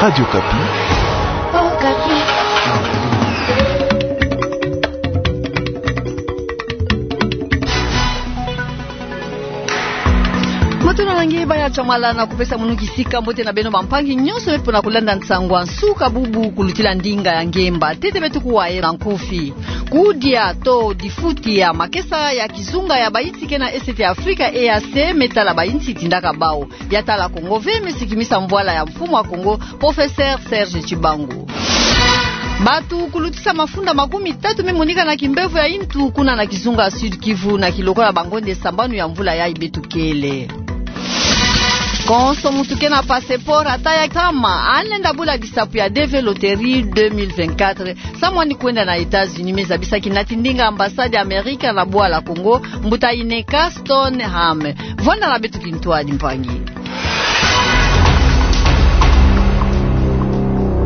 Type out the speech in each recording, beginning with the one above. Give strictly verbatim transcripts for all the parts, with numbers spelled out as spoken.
Radio Okapi. Matondo na nge, baya tshamala na kupesa munu kisika mbote na beno bampangi nyonso beto pona kulanda nsangu ya nsuka bubu kulutila ndinga ya ngemba. Ntete beto kuwa ye na nkufi. Kudia to difuta ya makesa ya kizunga ya bayinsi ke na Est ya Afrika, E A C, me tala bayinsi tindaka bau. Ya tala Kongo ve, me sikimisa mvwala ya mfumu wa Kongo, Professeur Serge Tshibangu. Bato kulutisa mafunda makumi tatu me monika na kimbevo ya yintu kuna na kizunga Sud-Kivu na kilokola bangonde sambanu ya mvula yayi beto kele. Konso muntu ke na passeport ata ya ntama, alenda bula disapu ya D V Loterie deux mille vingt-quatre, samu yandi kwenda na États-Unis, me zabisa kinati ndinga ambassade ya Amerika na bwala Kongo, mbuta Ineka Stoneham. Vwanda na beto kintwadi, mpangi.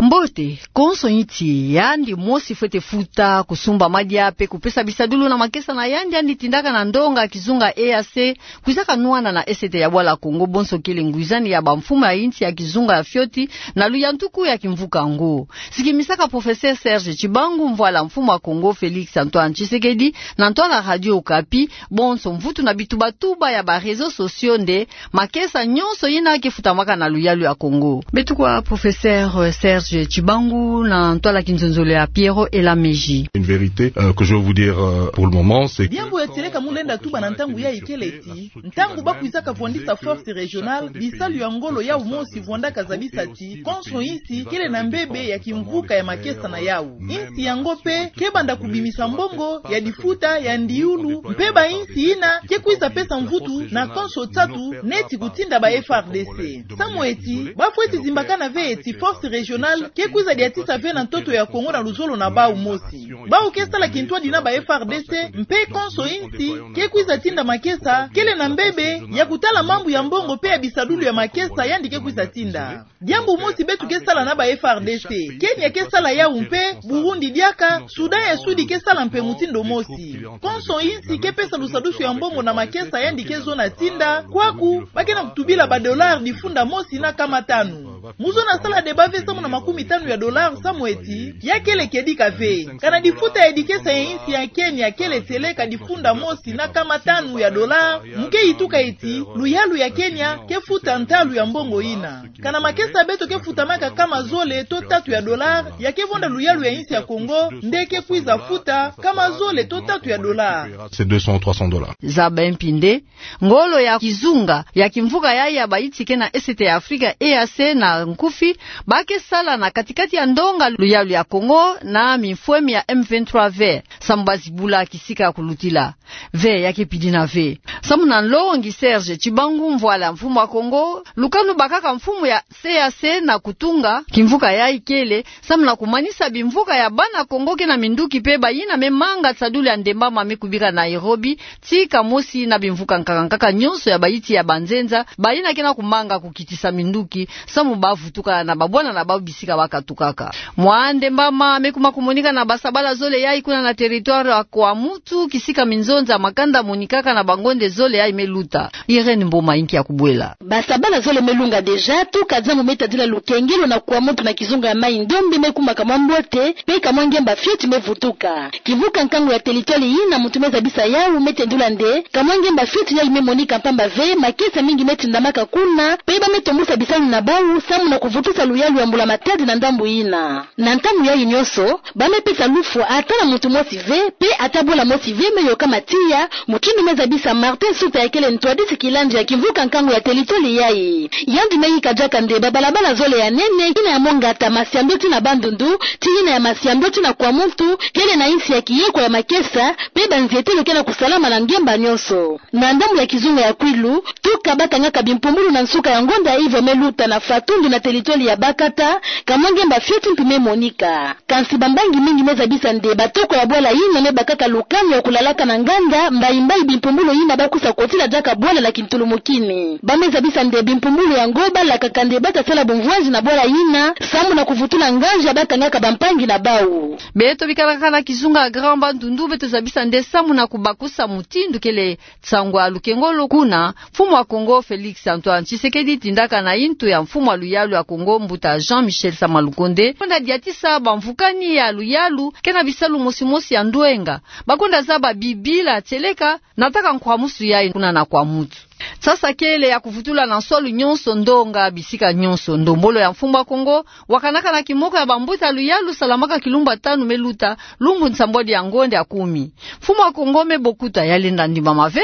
Mbote, konso insi yandi mosi fwete futa, kusumba madia, pe kupesa bisadulu na makesa na yandi yandi tindaka na ndonga kizunga E A C, kwizaka nwana na Est ya bwala Kongo, bonso kele ngwizani ya bamfumu ya insi ya kizunga ya fioti, na luyantuku ya kimvuka yango. Sikimisaka Professeur Serge Tshibangu, mvwala mfumu wa Kongo Félix Antoine Tshisekedi, na ntwala Radio Okapi, bonso mvutu na bitubatuba ya ba réseaux sociaux nde makesa nyonso yina ke futamaka na luyalu ya Kongo. Beto kuwa Professeur Serge Tshibangu na ntwala kinzonzolo ya Pierrot Elameji. Une vérité, euh, que je veux vous dire, euh, pour le moment, c'est que... Diambu ya tieleka mu lenda tuba na ntangu yayi kele ti, ntangu ba kwizaka vwandisa force régionale, bisalu ya ngolo yau mosi vwandaka zabisa ti konso insi kele na mbebe ya kimvuka ya makesa na yau. Insi yango pe ke banda kubimisa mbongo ya difuta ya ndiulu, mpe ba insi yina ke kwiza pesa mvutu na konso tatu neti kutinda ba F R D C. Samu eti ba fweti zimbakana ve eti force régionale ke kwiza diatisa ve na ntoto ya Kongo na luzolo na bau mosi. Bau ke sala kintwadi na ba F R D C, mpe konso insi ke kwiza tinda makesa kele na mbebe ya kutala mambu ya mbongo mpe ya bisadulu ya makesa yandi ke kwiza tinda. Diambu mosi beto ke sala na ba F R D C. Kenya ke sala yau mpe, Burundi diaka, Sudan ya Sudi ke sala mpe mutindu mosi. Konso insi ke pesa lusadusu ya mbongo na makesa yandi ke zona tinda, kwaku ba ke na kutubila ba dollars difunda mosi na nkama tanu. Mu zona sala débat ve samu na makumi tanu ya dollars samu eti ya kele kedika ve. Kana difuta ya dikesa ya insi ya Kenya kele tieleka difunda mosi na nkama tanu ya dollars, mu ke yituka eti luyalu ya Kenya ke futa ntalu ya mbongo yina. Kana makesa beto ke futamaka nkama zole to tatu ya dollars, ya ke vonda luyalu ya insi ya Kongo nde ke kwiza futa nkama zole to tatu ya dollars. C'est deux cents, trois cents dollars. Zaba mpi nde ngolo ya kizunga ya kimvuka yayi ya bayinsi ke na Est ya Afrika, E A C, na nkufi, ba ke sala na katikati ya ndonga luyalu ya Kongo na mifwemi ya M vingt-trois ve, samu ba zibula kisika ya kulutila. Ve ya ke pidina ve. Samu na nlongi Serge Tshibangu, mvwala mfumu wa Kongo, lukanu bakaka mfumu ya E A C na kutunga kimvuka yayi kele samu na kumanisa bimvuka ya bana Kongo ke na minduki mpe bayina me manga tisadulu ya ndembama me kubika Nairobi, tika mosi na bimvuka nkaka nkaka nyonso ya bayinsi ya banzenza, bayina ke na kumanga kukitisa minduki, samu ba vutuka na babwana na bau bisika ba katukaka. Mwa ndembama me kuma kumonika na basabala zole yayi kuna na territoire ya Kwamouth, kisika minzonza makanda monikaka na bangonde zole yayi me luta. Irène Mboma inki ya kubwela. Basabala zole me lunga déjà, tuka diambu me tadila lukengelo na Kwamouth na kizunga ya Mai-Ndombe me kuma ka mwa mbote, mpe ka mwa ngemba fioti me vutuka. Kimvuka nkangu ya territoire yina muntu me zabisa yau me tendula nde ka mwa ngemba fioti yayi me monika mpamba ve, makesa mingi me tindamaka kuna, mpe ba me tombusa bisalu na bau samu na kuvutusa luyalu ya mbula-matadi na ndambu yina. Na ntangu yayi nyonso, ba me pesa lufwa ata na muntu mosi ve, mpe ata bola mosi ve me yokama tiya, mutindu me zabisa Martin Suta ya kele ntwadisi kilandi ya kimvuka nkangu ya territoire yayi. Yandi me yika diaka nde babalabala zole ya nene, yina ya mongata Masiambio tii na Bandundu, tii yina ya Masiambio tii na Kwamouth, kele na insi ya kiyekwa ya makesa, mpe banzietelo ke na kusalama na ngemba nyonso. Na ndambu ya kizunga ya Kwilu, tuka ba kangaka bimpumbulu na nsuka ya ngonda ya ive me luta na Fatundu na territoire ya Bakata, ka mwa ngemba fioti mpi me monika. Kansi bambangi mingi me zabisa nde batoko ya bwala yina me bakaka lukanu ya kulalaka na nganda, mbayi-mbayi bimpumbulu yina ba kwiza kotila diaka bwala na kintulumukini. Ba me zabisa nde bimpumbulu yango ba lakaka nde ba ta sala bumvwanzi na bwala yina, samu na kuvutula nganzi ya ba kangaka bampangi na bau. Beto bikalaka na kizunga Grand Bandundu, beto zabisa nde samu na kubakusa mutindu kele nsangu ya lukengolo kuna, mfumu wa Kongo Félix Antoine Tshisekedi tindaka na yintu ya mfumu wa yalu ya Kongo, mbuta Jean-Michel Sama Lukonde, kwenda diatisa bamvukani ya luyalu, kena bisalu mosi mosi ya ndwenga. Bakwenda zaba bibila tieleka, nataka nkwamusu yayi kuna na Kwamouth. Sasa kele ya kuvutula na nswalu nyonso, ndonga bisika nyonso. Ndombolo ya mfumu a Kongo wakanaka na kimoko ya bambuta luyalu salamaka kilumbu ya tanu me luta, lumbu nsambwadi ya ngonde ya kumi. Mfumu a Kongo me bokuta, ya lenda ndimbama ve,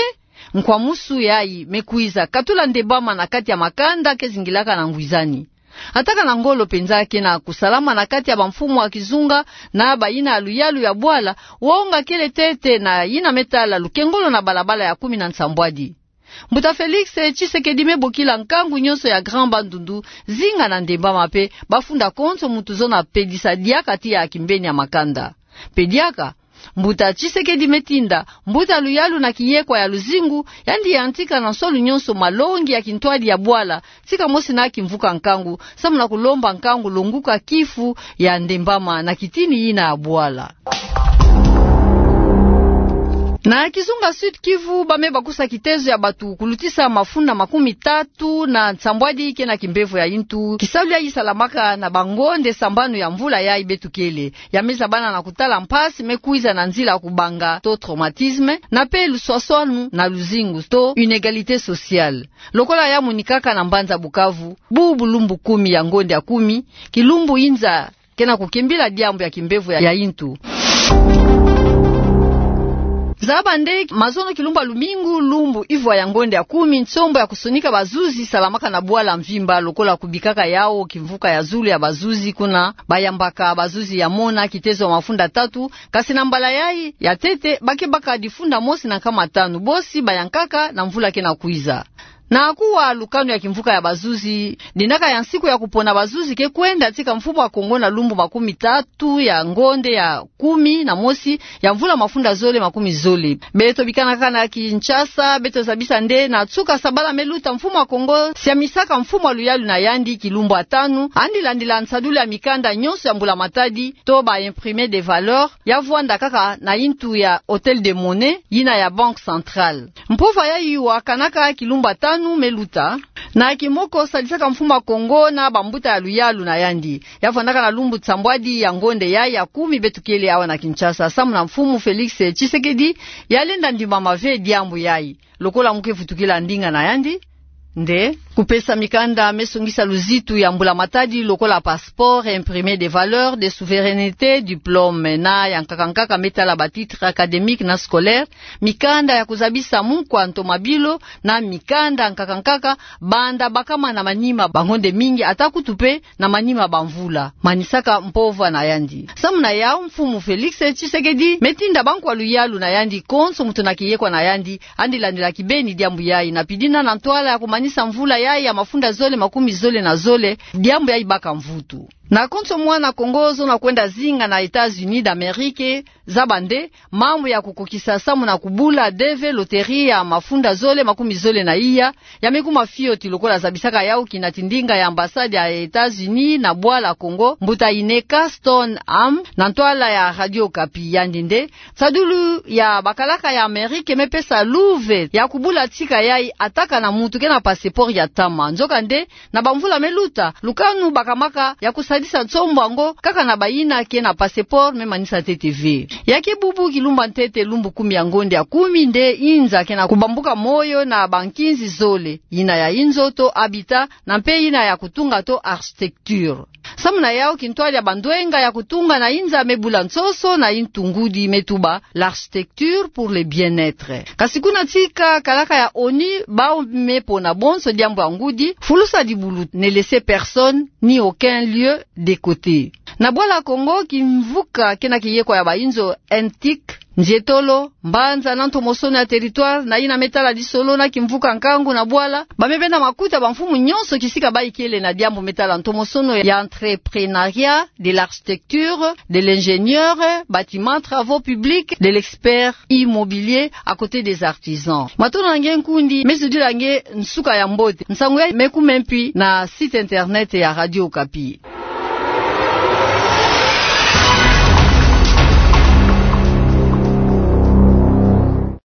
nkwamusu yayi me kwiza katula ndembama na kati ya makanda ke zingilaka na ngwizani. Ataka na ngolo mpenza kena kusalama na kati ya bamfumu ya kizunga na bayina ya luyalu ya bwala, wonga kele ntete na yina me tala lukengolo na balabala ya kumi na nsambwadi. Mbuta Félix Tshisekedi me bokila nkangu nyonso ya Grand Bandundu zinga na ndembama mpe bafunda konso muntu zona pedisa diaka tiya kimbeni ya makanda. Mpe diaka, mbuta Tshisekedi me tinda mbuta luyalu na kiyekwa ya luzingu, yandi yantika na nswalu nyonso malongi ya kintwadi ya bwala, tika mosi na kimvuka nkangu, samu na kulomba nkangu longuka kifu ya ndembama na kitini yina ya bwala. Na kizunga Sud-Kivu, ba me bakusa kitezo ya bantu kulutisa mafunda makumi tatu na nsambwadi kena kimbevo ya yintu, kisalu yayi salamaka na bangonde sambanu ya mvula yayi beto kele. Ya me zabana na kutala mpasi me kwiza na nzila kubanga to traumatisme, na mpe luswaswanu na luzingu to inégalité sociale. Lokola ya monikaka na mbanza Bukavu, bubu lumbu kumi ya ngonde ya kumi, kilumbu inza kena kukimbila diambu ya kimbevo ya, ya yintu. Zaba nde mazono kilumbu ya lumingu, lumbu ivwa ya ngonde ya kumi, nsombo ya kusonika bazuzi salamaka na bwala mvimba, lokola kubikaka yawu kimvuka ya zulu ya bazuzi, kuna bayambaka bazuzi ya mona kitezo ya mafunda tatu, kasi na mbala yayi ya ntete ba ke baka difunda mosi na nkama tanu, bosi bayankaka na mvula kena kwiza. Na kuwa lukanu ya kimvuka ya bazuzi, dinaka ya nsiku ya kupona bazuzi ke kwenda tika mfumu a Kongo na lumbu makumi tatu ya ngonde ya kumi na mosi ya mvula mafunda zole makumi zole. Beto bikanaka na Kinshasa, beto zabisa nde na nsuka sabala me luta mfumu a Kongo siamisaka mfumu a luyalu na yandi kilumbu ya tanu, yandi landila nsadulu ya mikanda nyonso ya mbula matadi, to ba imprimés de valeur, ya vwanda kaka na yintu ya Hôtel des Monnaies, yina ya Banque Centrale. Mpova yayi wakanaka kilumbu ya tanu me luta. Na kimoko sadisaka mfumu a Kongo na bambuta ya luyalu na yandi, ya vwandaka na lumbu nsambwadi ya ngonde yayi ya kumi beto kele awa na Kinshasa, samu na mfumu Félix Tshisekedi, ya lenda ndimama ve diambu yayi. Lokola mu ke vutukila ndinga na yandi, nde kupesa mikanda me songisa luzitu ya mbula matadi, lokola passeport, imprimés de valeur, de souveraineté, diplôme, na ya nkaka nkaka me tala ba titres académiques na scolaires, mikanda ya kuzabisa mukwa nto mabilo, na mikanda nkaka nkaka, banda bakama na manima ba ngonde mingi, ata kutu mpe na manima ba mvula, manisaka mpova na yandi. Samu na yawu, mfumu Félix Tshisekedi me tinda bankwa luyalu na yandi konso, muntu na kiyekwa na yandi, yandi landila kibeni diambu yayi, na pidina na ntwala ya kumanisa mvula yayi ya mafunda zole makumi zole na zole, diambu yayi baka mvutu. Na konso mwana Kongo zona kwenda zinga na États-Unis d'Amérique, zaba nde mambu ya kukokisa samu na kubula D V loterie ya mafunda zole makumi zole na iya, ya me kuma fioti, lokola zabisaka yawu kinati ndinga ya ambassade ya États-Unis na bwala Kongo, mbuta Ineka Stone Ham, na ntwala ya Radio Okapi, yandi nde: Nsadulu ya bakalaka ya Amérique me pesa luve ya kubula tika yayi ataka na muntu ke na passeport ya ntama. Nzoka nde, na bamvula me luta, lukanu bakamaka ya kusadisa nsombo yango kaka na bayina ke na passeport me manisa ntete ve. Ya ke bubu kilumbu ya ntete, lumbu kumi ya ngonde ya kumi, nde inza ke na kubambuka moyo na bankinzi zole, yina ya inzo to habitat, na mpe yina ya kutunga to architecture. Samu na yawu, kintwadi ya bandwenga ya kutunga na inza me bula nsoso na yintu ngudi me tuba l'architecture pour le bien-être. Kasi kuna tika kalaka ya ONU, bawu me pona bonso diambu ya ngudi, fulusa dibulu, ne laisser personne ni aucun lieu de côté. Na bwala Kongo, kimvuka ke na kiyekwa ya bainzo, N T I C, nzietolo, mbanza na ntomosono ya territoire, na yina me tala disolo na kimvuka nkangu na bwala, ba me benda makuta bamfumu nyonso kisika bayi kele na diambu me tala ntomosono ya entrepreneuriat, de l'architecture, de l'ingénieur, bâtiment, travaux publics, de l'expert immobilier, à côté des artisans. Matondo na nge nkundi, me zudila nge nsuka ya mbote. Nsangu yayi me kuma mpi na site internet ya Radio Okapi.